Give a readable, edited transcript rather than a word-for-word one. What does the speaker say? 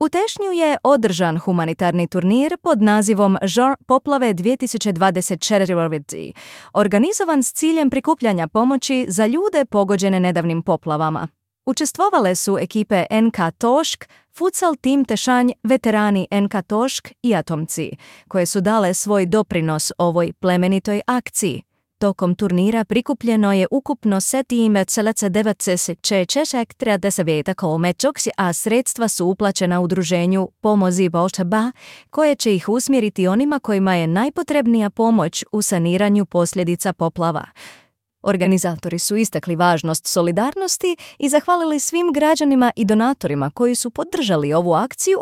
U Tešnju je održan humanitarni turnir pod nazivom Žar poplave 2024, organizovan s ciljem prikupljanja pomoći za ljude pogođene nedavnim poplavama. Učestvovale su ekipe NK Tošk, futsal tim Tešanj, veterani NK Tošk i atomci, koje su dale svoj doprinos ovoj plemenitoj akciji. Tokom turnira prikupljeno je ukupno 7,9 kolmečoksi, a sredstva su uplaćena udruženju Pomozi Volčaba, koje će ih usmjeriti onima kojima je najpotrebnija pomoć u saniranju posljedica poplava. Organizatori su istakli važnost solidarnosti i zahvalili svim građanima i donatorima koji su podržali ovu akciju,